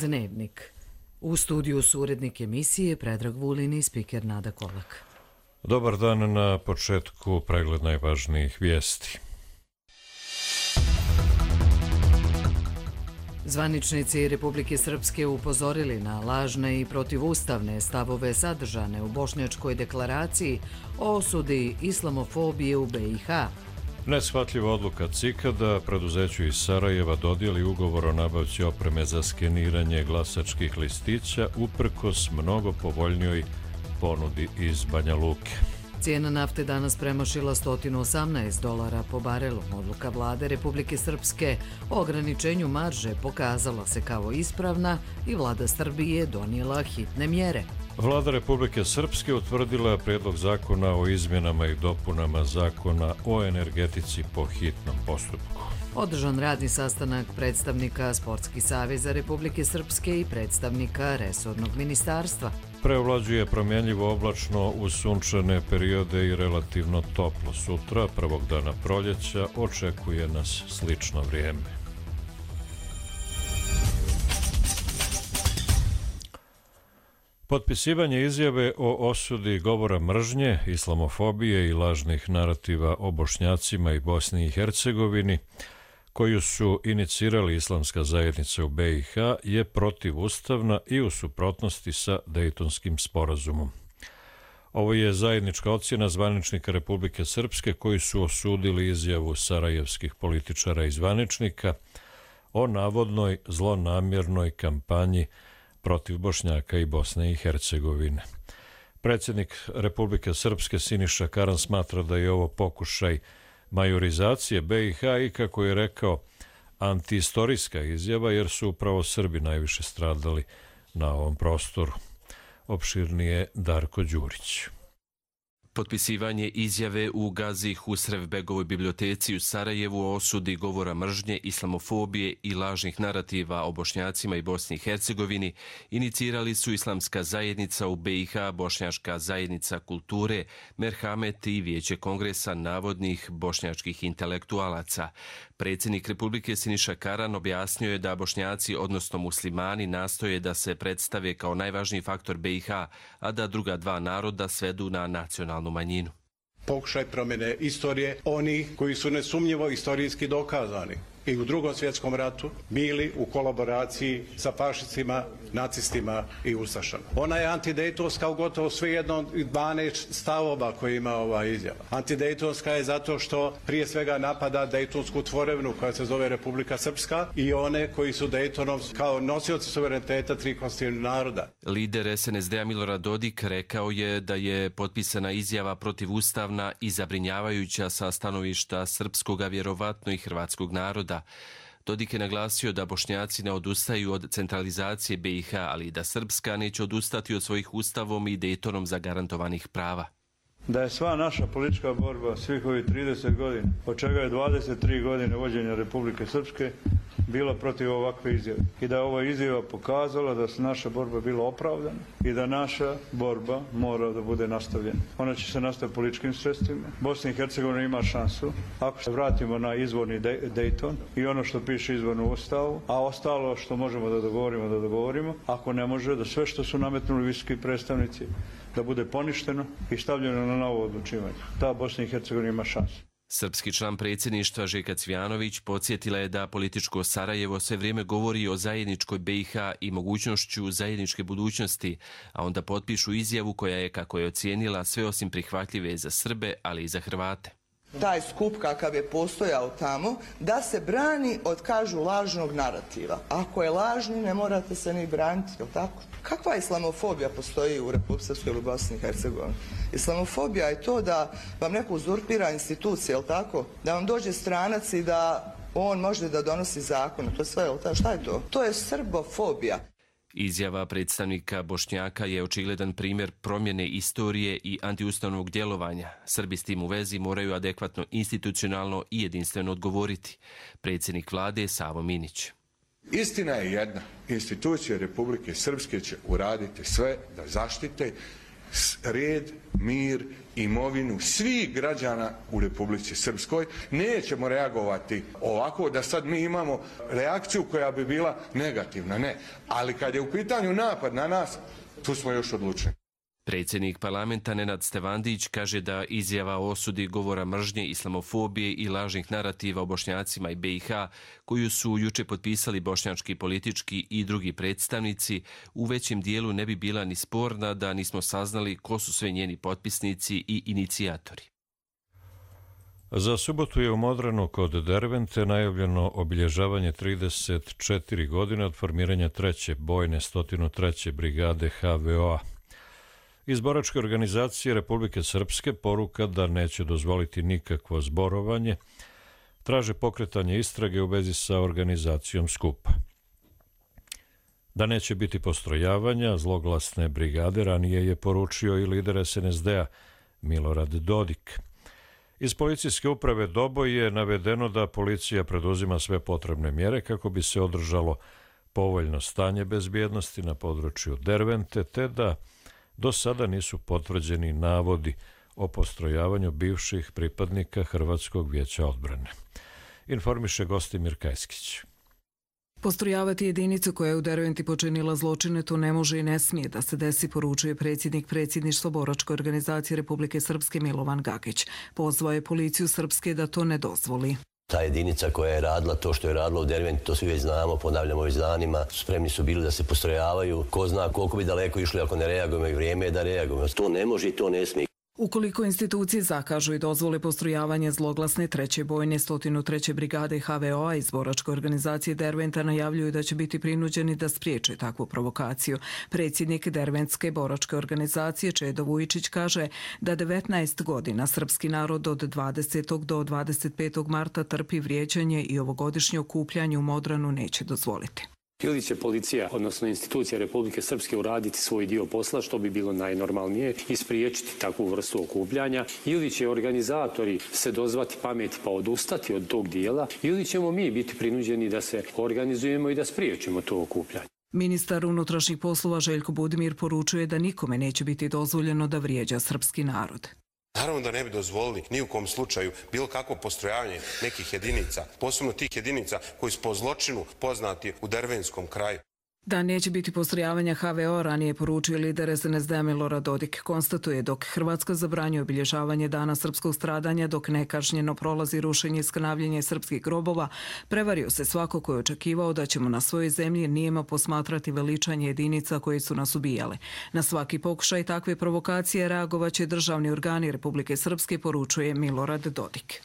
Dnevnik. U studiju su urednik emisije Predrag Vulin i spiker Nada Kolak. Dobar dan, na početku pregled najvažnijih vijesti. Zvaničnici Republike Srpske upozorili na lažne i protivustavne stavove sadržane u Bošnjačkoj deklaraciji o osudi islamofobije u BiH. Neshvatljiva odluka CIK-a da preduzeću iz Sarajeva dodijeli ugovor o nabavci opreme za skeniranje glasačkih listića uprkos mnogo povoljnijoj ponudi iz Banja Luke. Cijena nafte danas premašila $118 po barelu. Odluka vlade Republike Srpske o ograničenju marže pokazala se kao ispravna i vlada Srbije donijela hitne mjere. Vlada Republike Srpske utvrdila prijedlog zakona o izmjenama i dopunama zakona o energetici po hitnom postupku. Održan radni sastanak predstavnika Sportskih saveza Republike Srpske i predstavnika resornog ministarstva. Preovlađuje promjenljivo oblačno uz sunčane periode i relativno toplo. Sutra, prvog dana proljeća, očekuje nas slično vrijeme. Potpisivanje izjave o osudi govora mržnje, islamofobije i lažnih narativa o Bošnjacima i Bosni i Hercegovini, koju su inicirali islamska zajednica u BiH, je protivustavna i u suprotnosti sa Dejtonskim sporazumom. Ovo je zajednička ocjena zvaničnika Republike Srpske koji su osudili izjavu sarajevskih političara i zvaničnika o navodnoj zlonamjernoj kampanji protiv Bošnjaka i Bosne i Hercegovine. Predsjednik Republike Srpske Siniša Karan smatra da je ovo pokušaj majorizacije BiH i, kako je rekao, antiistorijska izjava, jer su upravo Srbi najviše stradali na ovom prostoru. Opširnije Darko Đurić. Potpisivanje izjave u Gazi Husrevbegovoj biblioteci u Sarajevu o osudi govora mržnje, islamofobije i lažnih narativa o Bošnjacima i Bosni i Hercegovini inicirali su Islamska zajednica u BiH, Bošnjačka zajednica kulture, Merhamet i Vijeće kongresa navodnih bošnjačkih intelektualaca. Predsjednik Republike Siniša Karan objasnio je da Bošnjaci, odnosno muslimani, nastoje da se predstave kao najvažniji faktor BiH, a da druga dva naroda svedu na nacionalnu manjinu. Pokušaj promjene istorije onih koji su nesumnjivo istorijski dokazani i u Drugom svjetskom ratu bili u kolaboraciji sa fašistima, nacistima i ustašama. Ona je antidejtonska u gotovo svejedno 12 stavova koje ima ova izjava. Antidejtonska je zato što prije svega napada dejtonsku tvorevinu koja se zove Republika Srpska i one koji su Dejtonom kao nosioci suvereniteta tri konstitutivnih naroda. Lider SNSD-a Milorad Dodik rekao je da je potpisana izjava protivustavna i zabrinjavajuća sa stanovišta srpskog, a vjerovatno i hrvatskog naroda. Dodik je naglasio da Bošnjaci ne odustaju od centralizacije BiH, ali i da Srpska neće odustati od svojih ustavom i Dejtonom zagarantovanih prava. Da je sva naša politička borba svih ovih 30 godina, od čega je 23 godine vođenja Republike Srpske, bila protiv ovakve izjave. I da je ova izjava pokazala da se naša borba bila opravdana i da naša borba mora da bude nastavljena. Ona će se nastaviti političkim sredstvima. Bosna i Hercegovina ima šansu ako se vratimo na izvorni Dejton i ono što piše izvorno u Ustavu, a ostalo što možemo da dogovorimo. Ako ne može, da sve što su nametnuli visoki predstavnici da bude poništeno i stavljeno na novo odlučivanje. Ta Bosna i Hercegovina ima šansu. Srpski član predsjedništva Željka Cvijanović podsjetila je da političko Sarajevo sve vrijeme govori o zajedničkoj BiH i mogućnošću zajedničke budućnosti, a onda potpišu izjavu koja je, kako je ocijenila, sve osim prihvatljive za Srbe, ali i za Hrvate. Taj skup kakav je postojao tamo, da se brani od, kažu, lažnog narativa. Ako je lažni, ne morate se ni braniti, je li tako? Kakva islamofobija postoji u Republike Srpske ili Bosni i Hercegovini? Islamofobija je to da vam neko uzurpira institucije, je li tako? Da vam dođe stranac i da on može da donosi zakon. To je sve, je li tako? Šta je to? To je srbofobija. Izjava predstavnika Bošnjaka je očigledan primjer promjene istorije i antiustavnog djelovanja. Srbi s tim u vezi moraju adekvatno institucionalno i jedinstveno odgovoriti. Predsjednik vlade Savo Minić. Istina je jedna. Institucije Republike Srpske će uraditi sve da zaštite red, mir, imovinu svih građana u Republici Srpskoj. Nećemo reagovati ovako da sad mi imamo reakciju koja bi bila negativna, ne. Ali kad je u pitanju napad na nas, tu smo još odlučeni. Predsjednik parlamenta Nenad Stevandić kaže da izjava o osudi govora mržnje, islamofobije i lažnih narativa o Bošnjacima i BiH, koju su juče potpisali bošnjački politički i drugi predstavnici, u većem dijelu ne bi bila ni sporna da nismo saznali ko su sve njeni potpisnici i inicijatori. Za subotu je u Modranu kod Dervente najavljeno obilježavanje 34 godine od formiranja 3. bojne 103. brigade HVO-a. Iz boračke organizacije Republike Srpske poruka da neće dozvoliti nikakvo zborovanje, traže pokretanje istrage u vezi sa organizacijom skupa. Da neće biti postrojavanja zloglasne brigade ranije je poručio i lider SNSD-a Milorad Dodik. Iz policijske uprave Doboj je navedeno da policija preduzima sve potrebne mjere kako bi se održalo povoljno stanje bezbjednosti na području Dervente, te da do sada nisu potvrđeni navodi o postrojavanju bivših pripadnika Hrvatskog vijeća odbrane. Informiše Gostimir Kajskić. Postrojavati jedinicu koja je u Derventi počinila zločine, to ne može i ne smije da se desi, poručuje predsjednik predsjedništva boračke organizacije Republike Srpske Milovan Gagić. Pozvao je policiju Srpske da to ne dozvoli. Ta jedinica koja je radila to što je radila u Derventi, to svi već znamo, ponavljamo već danima, spremni su bili da se postrojavaju. Ko zna koliko bi daleko išli ako ne reagujemo i vrijeme je da reagujemo. To ne može i to ne smije. Ukoliko institucije zakažu i dozvole postrojavanje zloglasne 3. bojne 103. brigade HVO-a iz boračke organizacije Derventa, najavljuju da će biti prinuđeni da spriječe takvu provokaciju. Predsjednik Derventske boračke organizacije Čedo Vujičić kaže da 19 godina srpski narod od 20. do 25. marta trpi vrijeđanje i ovogodišnje okupljanje u Modranu neće dozvoliti. Ili će policija, odnosno institucija Republike Srpske, uraditi svoj dio posla, što bi bilo najnormalnije, i spriječiti takvu vrstu okupljanja, ili će organizatori se dozvati pameti pa odustati od tog dijela, ili ćemo mi biti prinuđeni da se organizujemo i da spriječimo to okupljanje. Ministar unutrašnjih poslova Željko Budimir poručuje da nikome neće biti dozvoljeno da vrijeđa srpski narod. Naravno da ne bi dozvolili ni u kom slučaju bilo kakvo postrojavanje nekih jedinica, posebno tih jedinica koji su po zločinu poznati u Dervenskom kraju. Da neće biti postrojavanja HVO, ranije poručio lider SNSD-a Milorad Dodik. Konstatuje dok Hrvatska zabranjuje obilježavanje dana srpskog stradanja, dok nekažnjeno prolazi rušenje i skanavljanje srpskih grobova, prevario se svako ko je očekivao da ćemo na svojoj zemlji nijemo posmatrati veličanje jedinica koje su nas ubijale. Na svaki pokušaj takve provokacije reagovaće državni organi Republike Srpske, poručuje Milorad Dodik.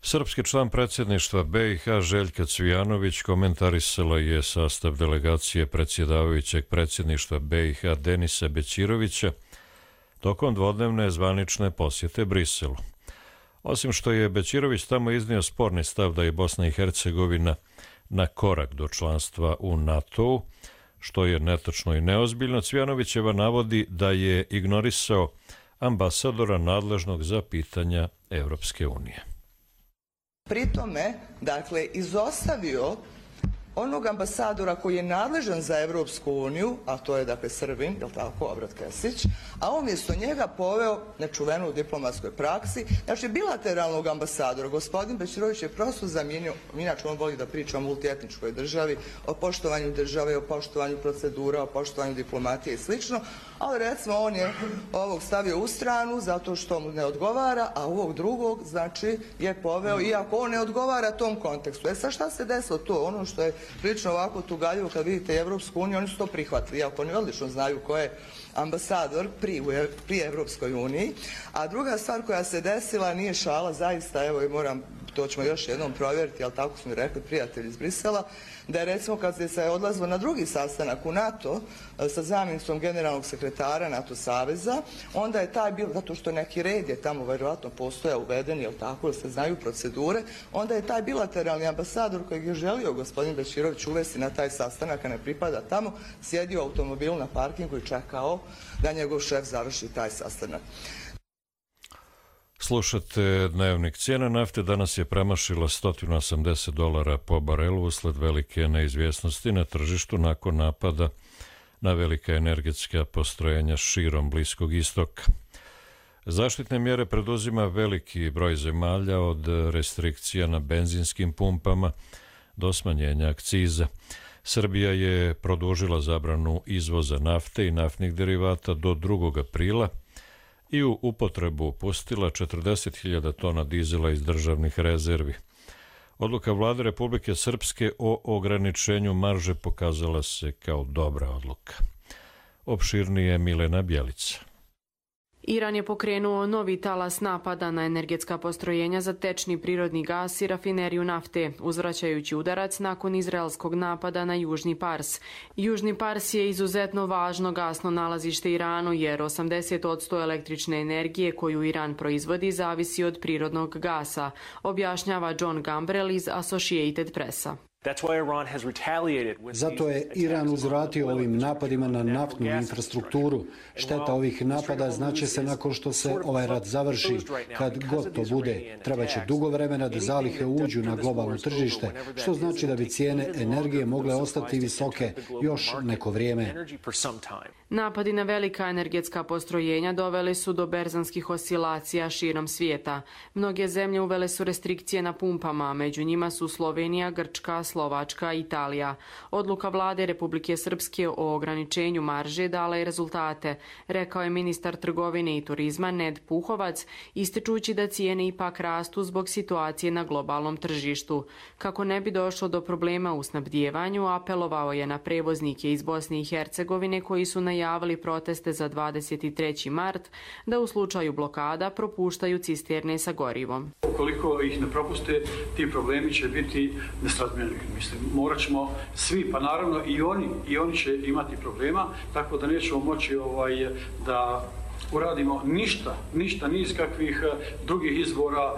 Srpski član predsjedništva BiH Željka Cvijanović komentarisala je sastav delegacije predsjedavajućeg predsjedništva BiH Denisa Bećirovića tokom dvodnevne zvanične posjete Briselu. Osim što je Bećirović tamo iznio sporni stav da je Bosna i Hercegovina na korak do članstva u NATO-u, što je netočno i neozbiljno, Cvijanovićeva navodi da je ignorisao ambasadora nadležnog za pitanja Evropske unije. Pri tome, dakle, izostavio onog ambasadora koji je nadležan za Evropsku uniju, a to je, dakle, Srbin, je li tako, Obrat Kesić, a umjesto njega poveo nečuvenu u diplomatskoj praksi, znači bilateralnog ambasadora. Gospodin Bećirović je prosto zamijenio, inače on voli da priča o multietničkoj državi, o poštovanju države, o poštovanju procedura, o poštovanju diplomatije i slično, ali recimo on je ovog stavio u stranu zato što mu ne odgovara, a ovog drugog, znači, je poveo, iako on ne odgovara tom kontekstu. Sad šta se desilo to? Ono što je prilično ovako tugaljivo kad vidite Evropsku uniju, oni su to prihvatili, iako oni odlično znaju ko je ambasador pri Evropskoj uniji. A druga stvar koja se desila nije šala, zaista, evo i moram, to ćemo još jednom provjeriti, ali tako su mi rekli prijatelji iz Brisela, da je recimo kad se odlazilo na drugi sastanak u NATO sa zamjenicom generalnog sekretara NATO saveza, onda je taj bio, zato što neki red je tamo vjerojatno postojao uveden, jel tako, jer se znaju procedure, onda je taj bilateralni ambasador kojeg je želio gospodin Bećirović uvesti na taj sastanak, a ne pripada tamo, sjedio u automobilu na parkingu i čekao da njegov šef završi taj sastanak. Slušate Dnevnik. Cijena nafte danas je premašila $180 po barelu usled velike neizvjesnosti na tržištu nakon napada na velika energetska postrojenja širom Bliskog istoka. Zaštitne mjere preduzima veliki broj zemalja, od restrikcija na benzinskim pumpama do smanjenja akciza. Srbija je produžila zabranu izvoza nafte i naftnih derivata do 2. aprila i u upotrebu pustila 40.000 tona dizela iz državnih rezervi. Odluka Vlade Republike Srpske o ograničenju marže pokazala se kao dobra odluka. Opširnije Milena Bjelica. Iran je pokrenuo novi talas napada na energetska postrojenja za tečni prirodni gas i rafineriju nafte, uzvraćajući udarac nakon izraelskog napada na Južni Pars. Južni Pars je izuzetno važno gasno nalazište Iranu, jer 80% električne energije koju Iran proizvodi zavisi od prirodnog gasa, objašnjava John Gambrell iz Associated Pressa. Zato je Iran uzvratio ovim napadima na naftnu infrastrukturu. Šteta ovih napada znaće se nakon što se ovaj rat završi. Kad god to bude, trebaće dugo vremena da zalihe uđu na globalno tržište, što znači da bi cijene energije mogle ostati visoke još neko vrijeme. Napadi na velika energetska postrojenja doveli su do berzanskih oscilacija širom svijeta. Mnoge zemlje uvele su restrikcije na pumpama, među njima su Slovenija, Grčka, Slovačka i Italija. Odluka Vlade Republike Srpske o ograničenju marže dala je rezultate, rekao je ministar trgovine i turizma Ned Puhovac, ističući da cijene ipak rastu zbog situacije na globalnom tržištu. Kako ne bi došlo do problema u snabdijevanju, apelovao je na prevoznike iz Bosne i Hercegovine koji su najavili proteste za 23. mart da u slučaju blokada propuštaju cisterne sa gorivom. Ukoliko ih ne propuste, ti problemi će biti nesrazmjerni. Mislim, morat ćemo svi, pa naravno i oni će imati problema, tako da nećemo moći da uradimo ništa, ni iz kakvih drugih izvora,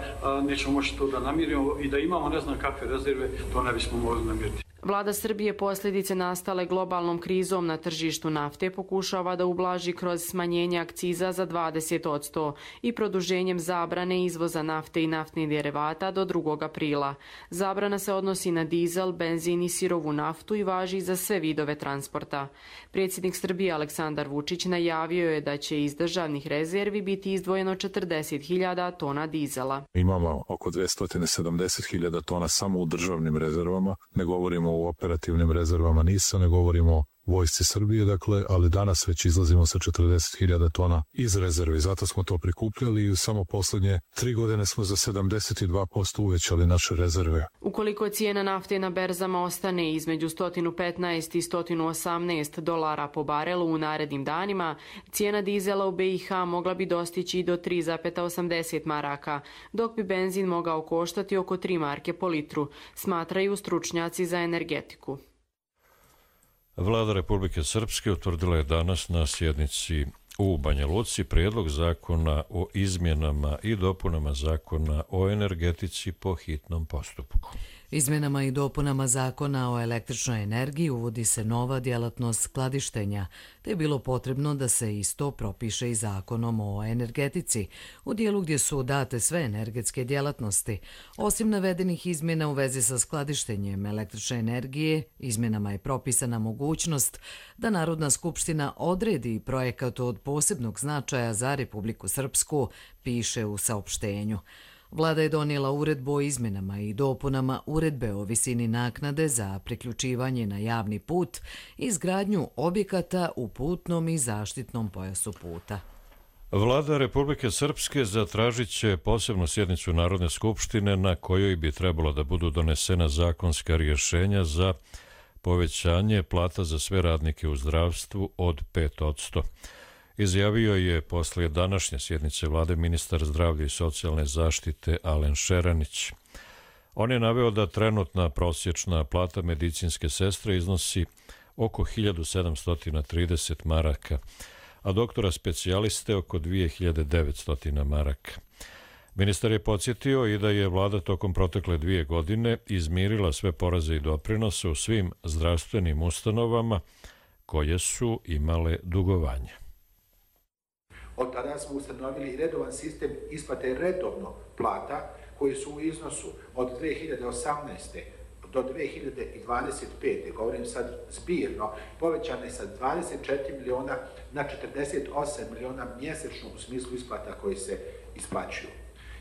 nećemo moći to da namirimo i da imamo ne znam kakve rezerve, to ne bismo mogli namiriti. Vlada Srbije posljedice nastale globalnom krizom na tržištu nafte pokušava da ublaži kroz smanjenje akciza za 20% i produženjem zabrane izvoza nafte i naftnih derivata do 2. aprila. Zabrana se odnosi na dizel, benzin i sirovu naftu i važi za sve vidove transporta. Predsjednik Srbije Aleksandar Vučić najavio je da će iz državnih rezervi biti izdvojeno 40.000 tona dizela. Imamo oko 270.000 tona samo u državnim rezervama, ne govorimo u operativnim rezervama NIS-a, ne govorimo o vojsci Srbije, dakle, ali danas već izlazimo sa 40.000 tona iz rezervi. Zato smo to prikupljali i samo poslednje 3 godine smo za 72% uvećali naše rezerve. Ukoliko cijena nafte na berzama ostane između $115 i $118 po barelu u narednim danima, cijena dizela u BiH mogla bi dostići do 3,80 maraka, dok bi benzin mogao koštati oko 3 marke po litru, smatraju stručnjaci za energetiku. Vlada Republike Srpske utvrdila je danas na sjednici u Banja Luci prijedlog zakona o izmjenama i dopunama zakona o energetici po hitnom postupku. Izmjenama i dopunama zakona o električnoj energiji uvodi se nova djelatnost skladištenja, te je bilo potrebno da se isto propiše i zakonom o energetici, u dijelu gdje su date sve energetske djelatnosti. Osim navedenih izmjena u vezi sa skladištenjem električne energije, izmjenama je propisana mogućnost da Narodna skupština odredi projekat od posebnog značaja za Republiku Srpsku, piše u saopštenju. Vlada je donijela uredbu o izmjenama i dopunama uredbe o visini naknade za priključivanje na javni put i izgradnju objekata u putnom i zaštitnom pojasu puta. Vlada Republike Srpske zatražit će posebnu sjednicu Narodne skupštine na kojoj bi trebalo da budu donesena zakonska rješenja za povećanje plata za sve radnike u zdravstvu od 5%. Izjavio je poslije današnje sjednice vlade ministar zdravlja i socijalne zaštite Alen Šeranić. On je naveo da trenutna prosječna plata medicinske sestre iznosi oko 1730 maraka, a doktora specijaliste oko 2900 maraka. Ministar je podsjetio i da je vlada tokom protekle 2 godine izmirila sve poreze i doprinose u svim zdravstvenim ustanovama koje su imale dugovanje. Od tada smo ustanovili redovan sistem isplate redovno plata koji su u iznosu od 2018. do 2025. govorim sad zbirno, povećana je sa 24 miliona na 48 miliona mjesečno u smislu isplata koji se isplaćuju.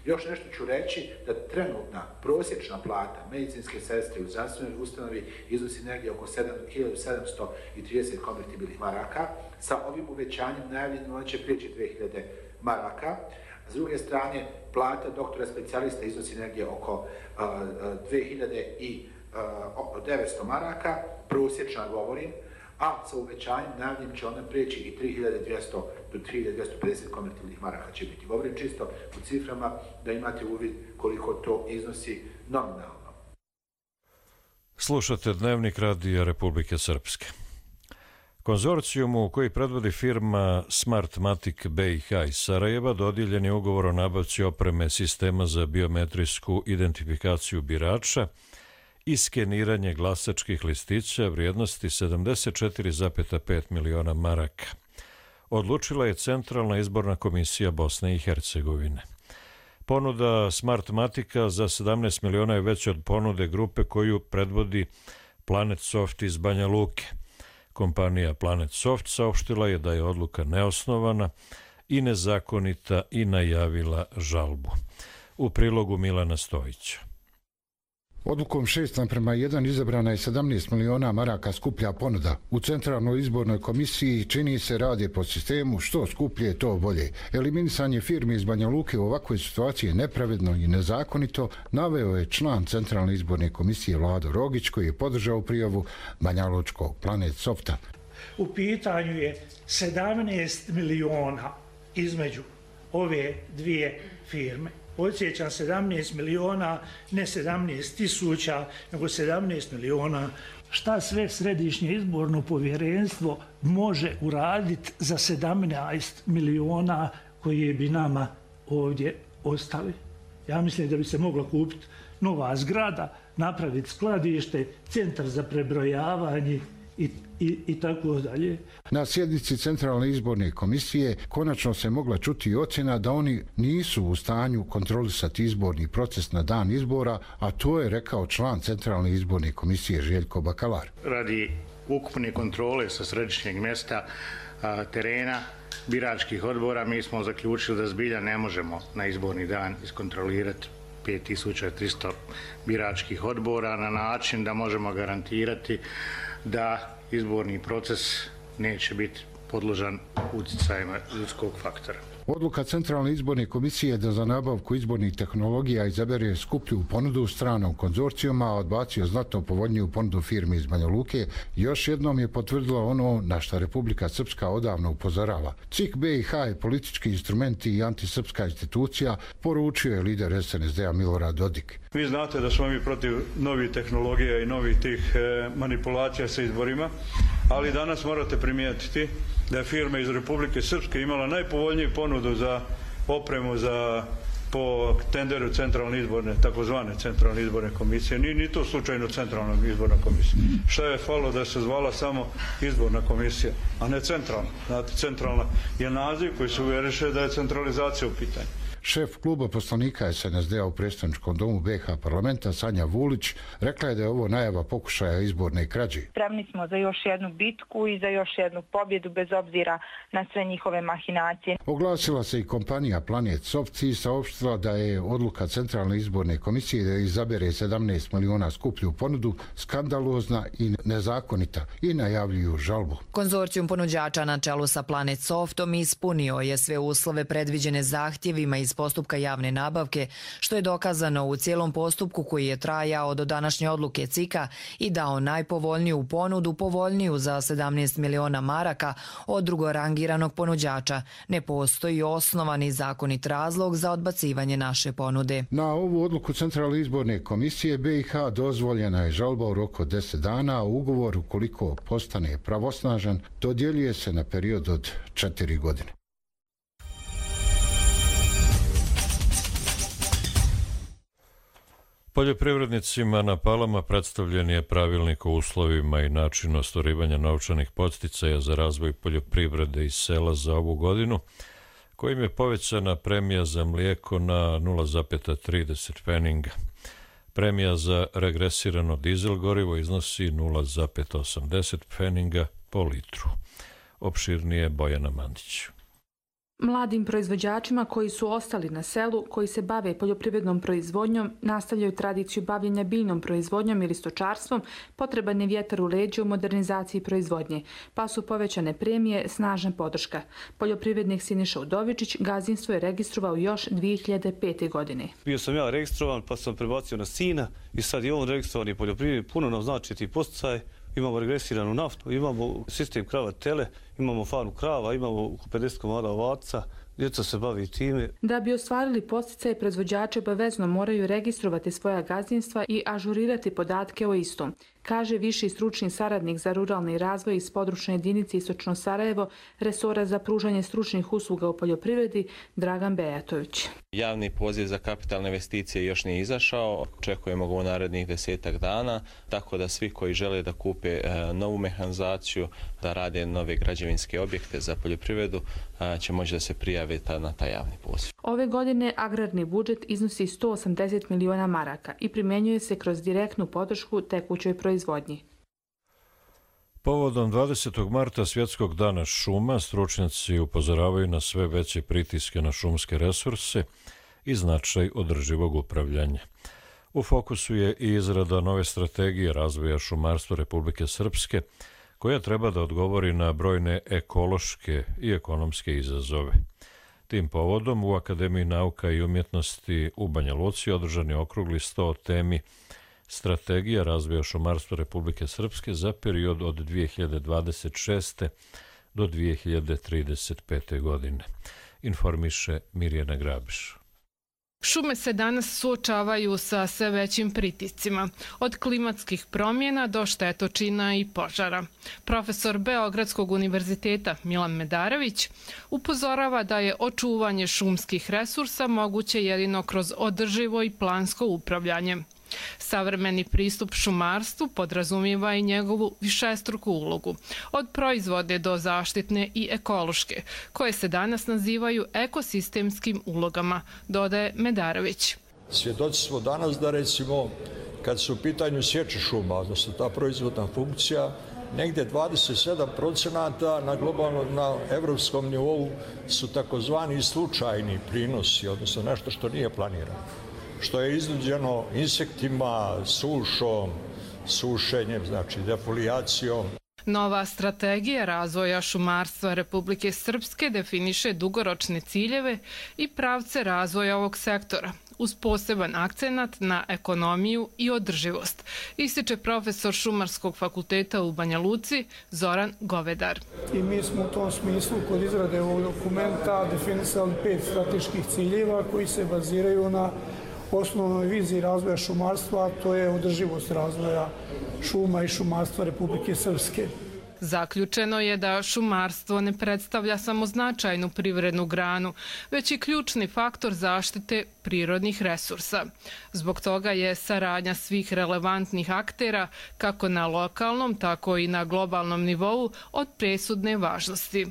Još nešto ću reći da trenutna prosječna plata medicinske sestre u zdravstvenoj ustanovi iznosi negdje oko 1730 konvertibilnih maraka. Sa ovim uvećanjem najavljeno ona će prijeći 2000 maraka. S druge strane, plata doktora specijalista iznosi negdje oko 2900 maraka, prosječna govorim, a sa uvećanjem najavljenim će ona prijeći i 3200 do 3250 konvertibilnih maraka će biti. Govorim čisto u ciframa da imate uvid koliko to iznosi nominalno. Slušate Dnevnik Radija Republike Srpske. Konzorcijumu koji predvodi firma Smartmatic BiH iz Sarajeva dodijeljen je ugovor o nabavci opreme sistema za biometrijsku identifikaciju birača i skeniranje glasačkih listića vrijednosti 74,5 miliona maraka. Odlučila je Centralna izborna komisija Bosne i Hercegovine. Ponuda Smartmatica za 17 miliona je veća od ponude grupe koju predvodi Planet Soft iz Banja Luke. Kompanija Planet Soft saopštila je da je odluka neosnovana i nezakonita i najavila žalbu. U prilogu Milana Stojića. Odlukom 6:1 izabrana je 17 miliona maraka skuplja ponuda. U Centralnoj izbornoj komisiji čini se radi po sistemu što skuplje to bolje. Eliminisanje firmi iz Banja Luke u ovakvoj situaciji je nepravedno i nezakonito, naveo je član Centralne izborne komisije Vlado Rogić koji je podržao prijavu banjalučkog Planet Softa. U pitanju je 17 miliona između ove dvije firme. Podsjećam, 17 miliona, ne 17 tisuća, nego 17 miliona. Šta sve Središnje izborno povjerenstvo može uraditi za 17 miliona koje bi nama ovdje ostali? Ja mislim da bi se mogla kupiti nova zgrada, napraviti skladište, centar za prebrojavanje i tako dalje. Na sjednici Centralne izborne komisije konačno se mogla čuti ocjena da oni nisu u stanju kontrolisati izborni proces na dan izbora, a to je rekao član Centralne izborne komisije Željko Bakalar. Radi ukupne kontrole sa središnjeg mjesta terena biračkih odbora mi smo zaključili da zbilja ne možemo na izborni dan iskontrolirati 5300 biračkih odbora na način da možemo garantirati da izborni proces neće biti podložan utjecajima ljudskog faktora. Odluka Centralne izborne komisije da za nabavku izbornih tehnologija izabere skuplju ponudu stranog konzorcijuma, a odbacio znatno povoljniju ponudu firmi iz Banja Luke, još jednom je potvrdila ono na što Republika Srpska odavno upozorava. CIK BiH je politički instrument i antisrpska institucija, poručio je lider SNSD-a Milorad Dodik. Vi znate da smo mi protiv novih tehnologija i novih tih manipulacija sa izborima, ali danas morate primijetiti da je firma iz Republike Srpske imala najpovoljniju ponudu za opremu po tenderu Centralne izborne, takozvane Centralne izborne komisije. Nije ni to slučajno Centralna izborna komisija. Šta je falo da se zvala samo izborna komisija, a ne centralna. Znate, centralna je naziv koji se uvjeriše da je centralizacija u pitanju. Šef kluba poslanika SNSD-a u predstavničkom domu BiH parlamenta Sanja Vulić rekla je da je ovo najava pokušaja izborne krađe. Spremni smo za još jednu bitku i za još jednu pobjedu bez obzira na sve njihove mahinacije. Oglasila se i kompanija Planet Soft i saopštila da je odluka Centralne izborne komisije da izabere 17 miliona skuplju ponudu skandalozna i nezakonita i najavljuju žalbu. Konzorcijum ponuđača na čelu sa Planet Softom ispunio je sve uslove predviđene zahtjevima iz postupka javne nabavke, što je dokazano u cijelom postupku koji je trajao do današnje odluke CIK-a i dao najpovoljniju ponudu, povoljniju za 17 miliona maraka od drugorangiranog ponuđača. Ne postoji osnovani zakonit razlog za odbacivanje naše ponude. Na ovu odluku Centralne izborne komisije BiH dozvoljena je žalba u roku od 10 dana, a ugovor, ukoliko postane pravosnažan, dodjeljuje se na period od 4 godine. Poljoprivrednicima na Palama predstavljen je pravilnik o uslovima i načinu ostvarivanja novčanih podsticaja za razvoj poljoprivrede i sela za ovu godinu, kojim je povećana premija za mlijeko na 0,30 pfeninga. Premija za regresirano dizel gorivo iznosi 0,80 pfeninga po litru. Opširnije Bojana Mandić. Mladim proizvođačima koji su ostali na selu, koji se bave poljoprivrednom proizvodnjom, nastavljaju tradiciju bavljenja biljnom proizvodnjom ili stočarstvom, potreban je vjetar u leđa u modernizaciji proizvodnje, pa su povećane premije, snažna podrška. Poljoprivrednik Siniša Udovičić gazdinstvo je registrovao još 2005. godine. Bio sam ja registrovan, pa sam prebacio na sina i sad je on registrovan i poljoprivrednik. Puno nam znači ti podsticaj. Imamo regresiranu naftu, imamo sistem krava tele, imamo farmu krava, imamo oko 50 komada ovaca, djeca se bavi time. Da bi ostvarili podsticaje, proizvođači obavezno moraju registrovati svoja gazdinstva i ažurirati podatke o istom, kaže viši stručni saradnik za ruralni razvoj iz područne jedinice Istočno Sarajevo, resora za pružanje stručnih usluga u poljoprivredi, Dragan Bejatović. Javni poziv za kapitalne investicije još nije izašao, očekujemo ga u narednih 10 dana, tako da svi koji žele da kupe novu mehanizaciju, da rade nove građevinske objekte za poljoprivredu, će moći da se prijave na taj javni poziv. Ove godine agrarni budžet iznosi 180 miliona maraka i primjenjuje se kroz direktnu podršku tekućoj proizvodnji. Povodom 20. marta Svjetskog dana šuma, stručnjaci upozoravaju na sve veće pritiske na šumske resurse i značaj održivog upravljanja. U fokusu je i izrada nove strategije razvoja šumarstva Republike Srpske, koja treba da odgovori na brojne ekološke i ekonomske izazove. Tim povodom u Akademiji nauka i umjetnosti u Banja Luci održan je okrugli sto o temi Strategija razvoja šumarstva Republike Srpske za period od 2026. do 2035. godine. Informiše Mirjana Grabiš. Šume se danas suočavaju sa sve većim pritiscima, od klimatskih promjena do štetočina i požara. Profesor Beogradskog univerziteta Milan Medarević upozorava da je očuvanje šumskih resursa moguće jedino kroz održivo i plansko upravljanje. Savremeni pristup šumarstvu podrazumijeva i njegovu višestruku ulogu, od proizvodne do zaštitne i ekološke, koje se danas nazivaju ekosistemskim ulogama, dodaje Medarević. Svjedoci smo danas da recimo kad su u pitanju sječe šuma, odnosno ta proizvodna funkcija, negdje 27% na globalnom, na evropskom nivou su takozvani slučajni prinosi, odnosno nešto što nije planirano, što je iznuđeno insektima, sušom, sušenjem, znači defolijacijom. Nova strategija razvoja šumarstva Republike Srpske definiše dugoročne ciljeve i pravce razvoja ovog sektora, uz poseban akcenat na ekonomiju i održivost, ističe profesor Šumarskog fakulteta u Banja Luci Zoran Govedar. I mi smo u tom smislu kod izrade ovog dokumenta definisali 5 strateških ciljeva koji se baziraju na osnovnoj viziji razvoja šumarstva, a to je održivost razvoja šuma i šumarstva Republike Srpske. Zaključeno je da šumarstvo ne predstavlja samo značajnu privrednu granu, već i ključni faktor zaštite prirodnih resursa. Zbog toga je saradnja svih relevantnih aktera, kako na lokalnom, tako i na globalnom nivou, od presudne važnosti.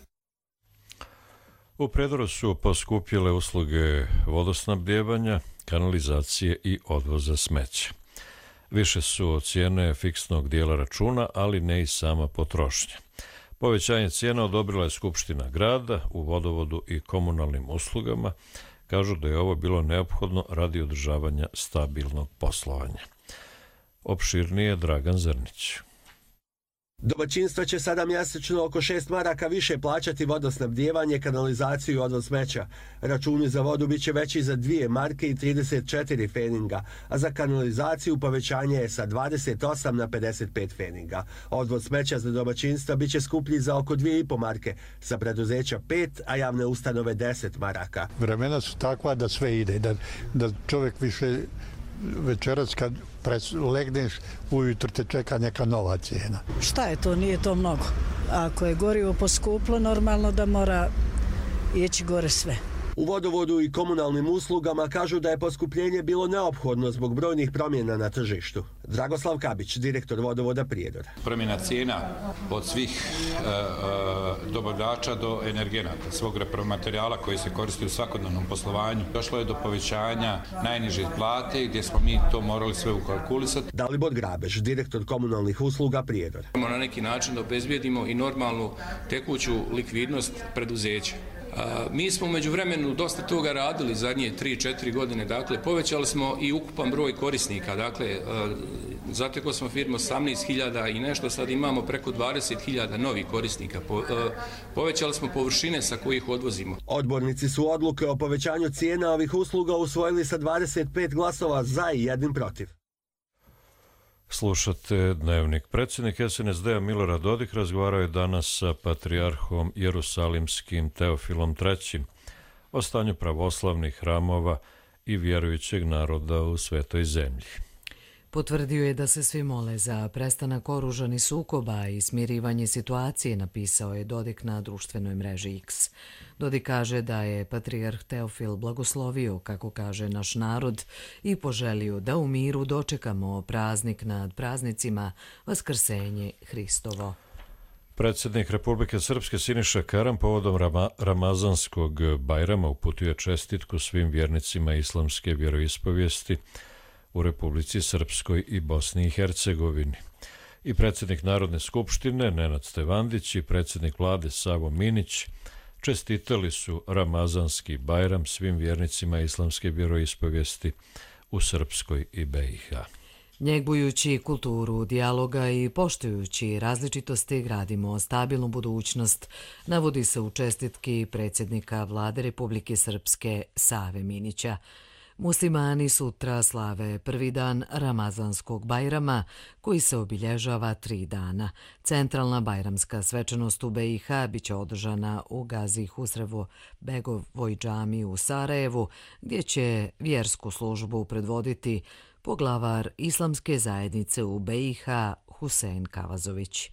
U Prijedoru su poskupjele usluge vodosnabdijevanja, kanalizacije i odvoza smeća. Više su cijene fiksnog dijela računa, ali ne i sama potrošnja. Povećanje cijena odobrila je Skupština grada u vodovodu i komunalnim uslugama. Kažu da je ovo bilo neophodno radi održavanja stabilnog poslovanja. Opširnije Dragan Zrnić. Domaćinstva će sada mjesečno oko 6 maraka više plaćati vodosnabdijevanje, kanalizaciju i odvoz smeća. Računi za vodu bit će veći za 2 marke i 34 feninga, a za kanalizaciju povećanje je sa 28 na 55 feninga. Odvoz smeća za domaćinstva bit će skuplji za oko 2,5 marke, za preduzeća 5, a javne ustanove 10 maraka. Vremena su takva da sve ide, da čovjek više večeras kad legneš, ujutro te čeka neka nova cijena. Šta je to? Nije to mnogo. Ako je gorivo poskuplo, normalno da mora ići gore sve. U vodovodu i komunalnim uslugama kažu da je poskupljenje bilo neophodno zbog brojnih promjena na tržištu. Dragoslav Kabić, direktor vodovoda Prijedor. Promjena cijena od svih dobavljača do energenata, svog repromaterijala koji se koristi u svakodnevnom poslovanju. Došlo je do povećanja najniže plate gdje smo mi to morali sve ukalkulisati. Dalibor Grabež, direktor komunalnih usluga Prijedor. Na neki način da obezbijedimo i normalnu tekuću likvidnost preduzeća. Mi smo umeđu vremenu dosta toga radili zadnje 3-4 godine, dakle povećali smo i ukupan broj korisnika, dakle zatekli smo firmu 18.000 i nešto, sad imamo preko 20.000 novih korisnika, povećali smo površine sa kojih odvozimo. Odbornici su odluke o povećanju cijena ovih usluga usvojili sa 25 glasova za i 1 protiv. Slušate Dnevnik. Predsjednik SNSD-a Milorad Dodik razgovarao je danas sa patrijarhom Jerusalimskim Teofilom III o stanju pravoslavnih hramova i vjerujućeg naroda u svetoj zemlji. Potvrdio je da se svi mole za prestanak oružanih sukoba i smirivanje situacije, napisao je Dodik na društvenoj mreži X. Dodik kaže da je patrijarh Teofil blagoslovio, kako kaže, naš narod i poželio da u miru dočekamo praznik nad praznicima, Vaskrsenje Hristovo. Predsjednik Republike Srpske Siniša Karan povodom Ramazanskog Bajrama uputio je čestitku svim vjernicima islamske vjeroispovijesti u Republici Srpskoj i Bosni i Hercegovini. I predsjednik Narodne skupštine Nenad Stevandić i predsjednik vlade Savo Minić čestitali su Ramazanski Bajram svim vjernicima islamske vjeroispovijesti u Srpskoj i BiH. Njegujući kulturu dijaloga i poštujući različitosti gradimo stabilnu budućnost, navodi se u čestitki predsjednika vlade Republike Srpske Save Minića. Muslimani sutra slave prvi dan Ramazanskog Bajrama, koji se obilježava 3 dana. Centralna bajramska svečanost u BiH biće održana u Gazi Husrevo Begovoj džamiji u Sarajevu, gdje će vjersku službu predvoditi poglavar islamske zajednice u BiH Husein Kavazović.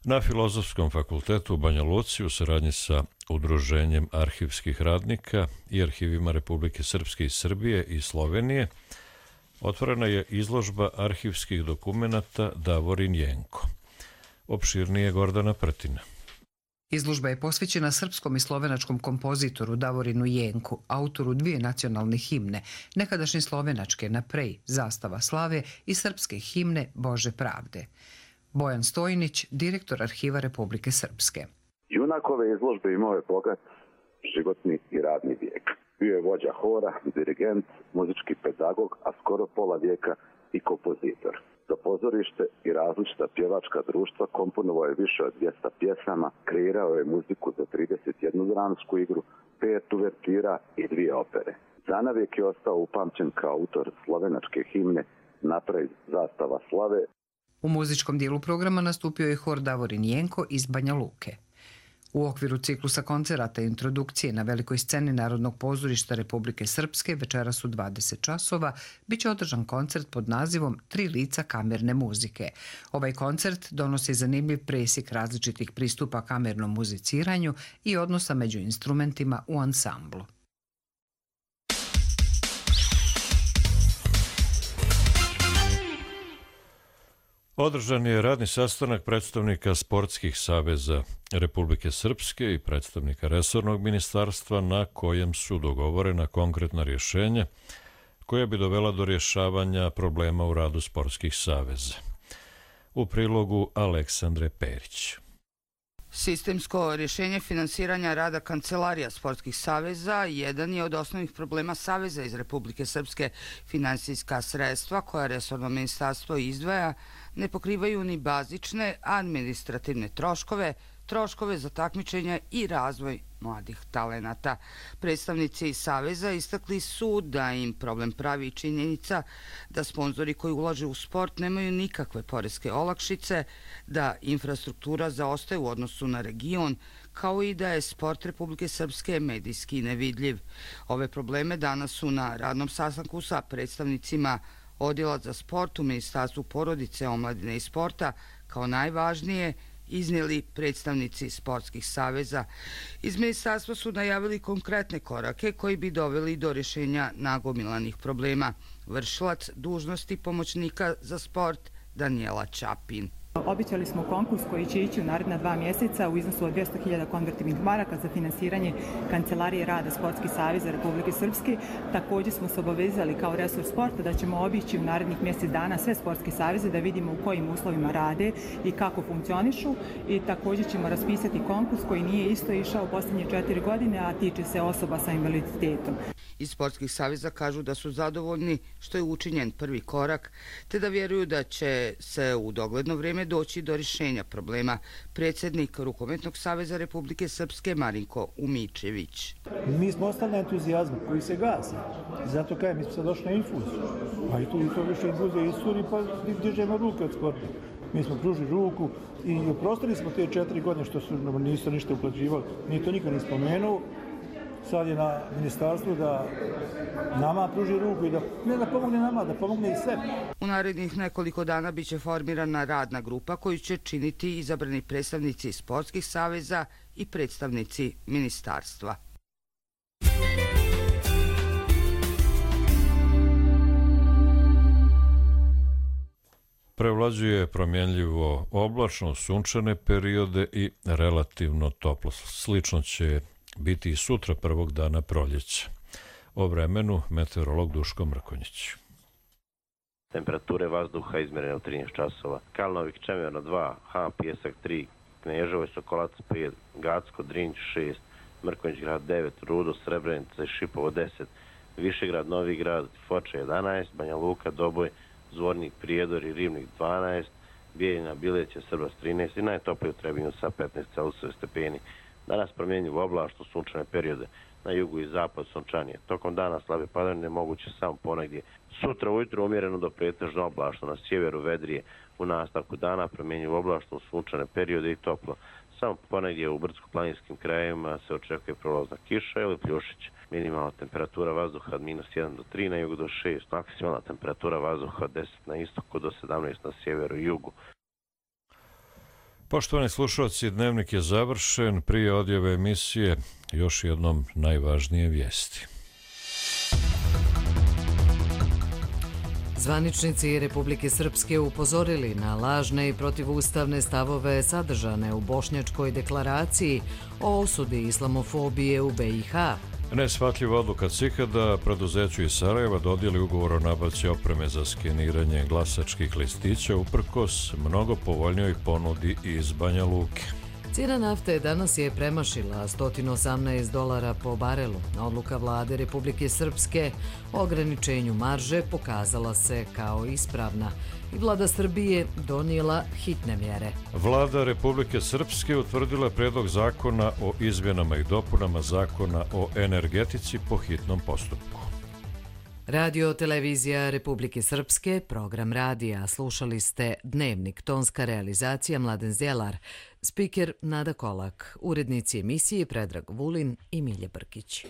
Na Filozofskom fakultetu u Banja Luci u saradnji sa Udruženjem arhivskih radnika i arhivima Republike Srpske i Srbije i Slovenije otvorena je izložba arhivskih dokumenata Davorin Jenko. Opširnije Gordana Prtina. Izložba je posvećena srpskom i slovenačkom kompozitoru Davorinu Jenku, autoru 2 nacionalne himne, nekadašnje slovenačke Na prej, Zastava slave i srpske himne Bože pravde. Bojan Stojnić, direktor Arhiva Republike Srpske. Junak ove izložbe imao je bogat životni i radni vijek. Bio je vođa hora, dirigent, muzički pedagog, a skoro pola vijeka i kompozitor. Za pozorište i različita pjevačka društva komponovao je više od 200 pjesama, kreirao je muziku za 31 dramsku igru, 5 uvertira i 2 opere. Zanavijek je ostao upamćen kao autor slovenačke himne Na prej, Zastava slave. U muzičkom dijelu programa nastupio je hor Davorin Jenko iz Banja Luke. U okviru ciklusa koncerata i introdukcije na velikoj sceni Narodnog pozorišta Republike Srpske večeras u 20 časova biće održan koncert pod nazivom 3 lica kamerne muzike. Ovaj koncert donosi zanimljiv presjek različitih pristupa kamernom muziciranju i odnosa među instrumentima u ansamblu. Održan je radni sastanak predstavnika sportskih saveza Republike Srpske i predstavnika resornog ministarstva na kojem su dogovorena konkretna rješenja koja bi dovela do rješavanja problema u radu sportskih saveza. U prilogu Aleksandre Perić. Sistemsko rješenje finansiranja rada kancelarija sportskih saveza jedan je od osnovnih problema saveza iz Republike Srpske. Finansijska sredstva koja resorno ministarstvo izdvaja ne pokrivaju ni bazične administrativne troškove, troškove za takmičenja i razvoj mladih talenata. Predstavnici saveza istakli su da im problem pravi činjenica da sponzori koji ulaže u sport nemaju nikakve poreske olakšice, da infrastruktura zaostaje u odnosu na region, kao i da je sport Republike Srpske medijski nevidljiv. Ove probleme danas su na radnom sastanku sa predstavnicima Odjela za sport u Ministarstvu porodice, omladine i sporta kao najvažnije iznijeli predstavnici sportskih saveza. Iz ministarstva su najavili konkretne korake koji bi doveli do rješenja nagomilanih problema. Vršilac dužnosti pomoćnika za sport Danijela Čapin. Obećali smo konkurs koji će ići u naredna 2 mjeseca u iznosu od 200.000 konvertibilnih maraka za finansiranje Kancelarije rada Sportskih saveza Republike Srpske. Također smo se obavezali kao resor sporta da ćemo obići u narednih mjesec dana sve sportske saveze da vidimo u kojim uslovima rade i kako funkcionišu. I također ćemo raspisati konkurs koji nije isto išao posljednje 4 godine, a tiče se osoba sa invaliditetom. Iz sportskih saveza kažu da su zadovoljni što je učinjen prvi korak, te da vjeruju da će se u dogledno vrijeme doći do rješenja problema. Predsjednik Rukometnog saveza Republike Srpske Marinko Umičević. Mi smo ostali na entuzijazmu koji se gasi. Zato kažem, mi smo sad došli na infuziju. Pa i to više infuzija isturi, pa dižemo ruke od sporta. Mi smo pružili ruku i oprostili smo te 4 godine što su nisu ništa uplaćivali. Nije to niko ni spomenuo. Sad je na ministarstvu da nama pruži ruku i da ne da pomogne nama, da pomogne i sebi. U narednih nekoliko dana biće formirana radna grupa koju će činiti izabrani predstavnici sportskih saveza i predstavnici ministarstva. Prevlađuje promjenljivo oblačno, sunčane periode i relativno toplo. Slično će biti i sutra prvog dana proljeća. O vremenu meteorolog Duško Mrkonjić. Temperature vazduha izmjerene u 13 časova. Kalnovik, Čemerno 2, Han, Pjesak 3, Kneževo i Sokolac 5, Gacko, Drinć 6, Mrkonjić grad 9, Rudo, Srebrenica i Šipovo 10, Višegrad, Novi grad, Foča 11, Banja Luka, Doboj, Zvornik, Prijedor i Rivnik 12, Bijeljina, Bileće, Srbas 13 i najtoplije u Trebinju sa 15 Celsiusov stepeni. Danas promjenjivo oblačno, sunčane periode. Na jugu i zapad sunčanije. Tokom dana slabe padavine moguće samo ponegdje. Sutra ujutro umjereno do pretežno oblačno, na sjeveru vedrije. U nastavku dana promjenjivo oblačno, sunčane periode i toplo. Samo ponegdje u brdsko-planinskim krajevima se očekuje prolazna kiša ili pljušić. Minimalna temperatura vazduha od -1 do 3 na jugu do 6. Maksimalna temperatura vazduha od 10 na istoku do 17 na sjeveru i jugu. Poštovani slušalci, dnevnik je završen. Prije odjave emisije još jednom najvažnije vijesti. Zvaničnici Republike Srpske upozorili na lažne i protivustavne stavove sadržane u Bošnjačkoj deklaraciji o osudi islamofobije u BiH. Neshvatljiva odluka CIK-a da preduzeću iz Sarajeva dodijeli ugovor o nabavci opreme za skeniranje glasačkih listića uprkos mnogo povoljnijoj ponudi iz Banja Luke. Cijena nafte danas je premašila $118 po barelu. Odluka vlade Republike Srpske o ograničenju marže pokazala se kao ispravna i vlada Srbije donijela hitne mjere. Vlada Republike Srpske utvrdila predlog zakona o izmjenama i dopunama zakona o energetici po hitnom postupku. Radio televizija Republike Srpske, program radija. Slušali ste Dnevnik, tonska realizacija Mladen Zjelar, spiker Nada Kolak, urednici emisije Predrag Vulin i Milje Brkić.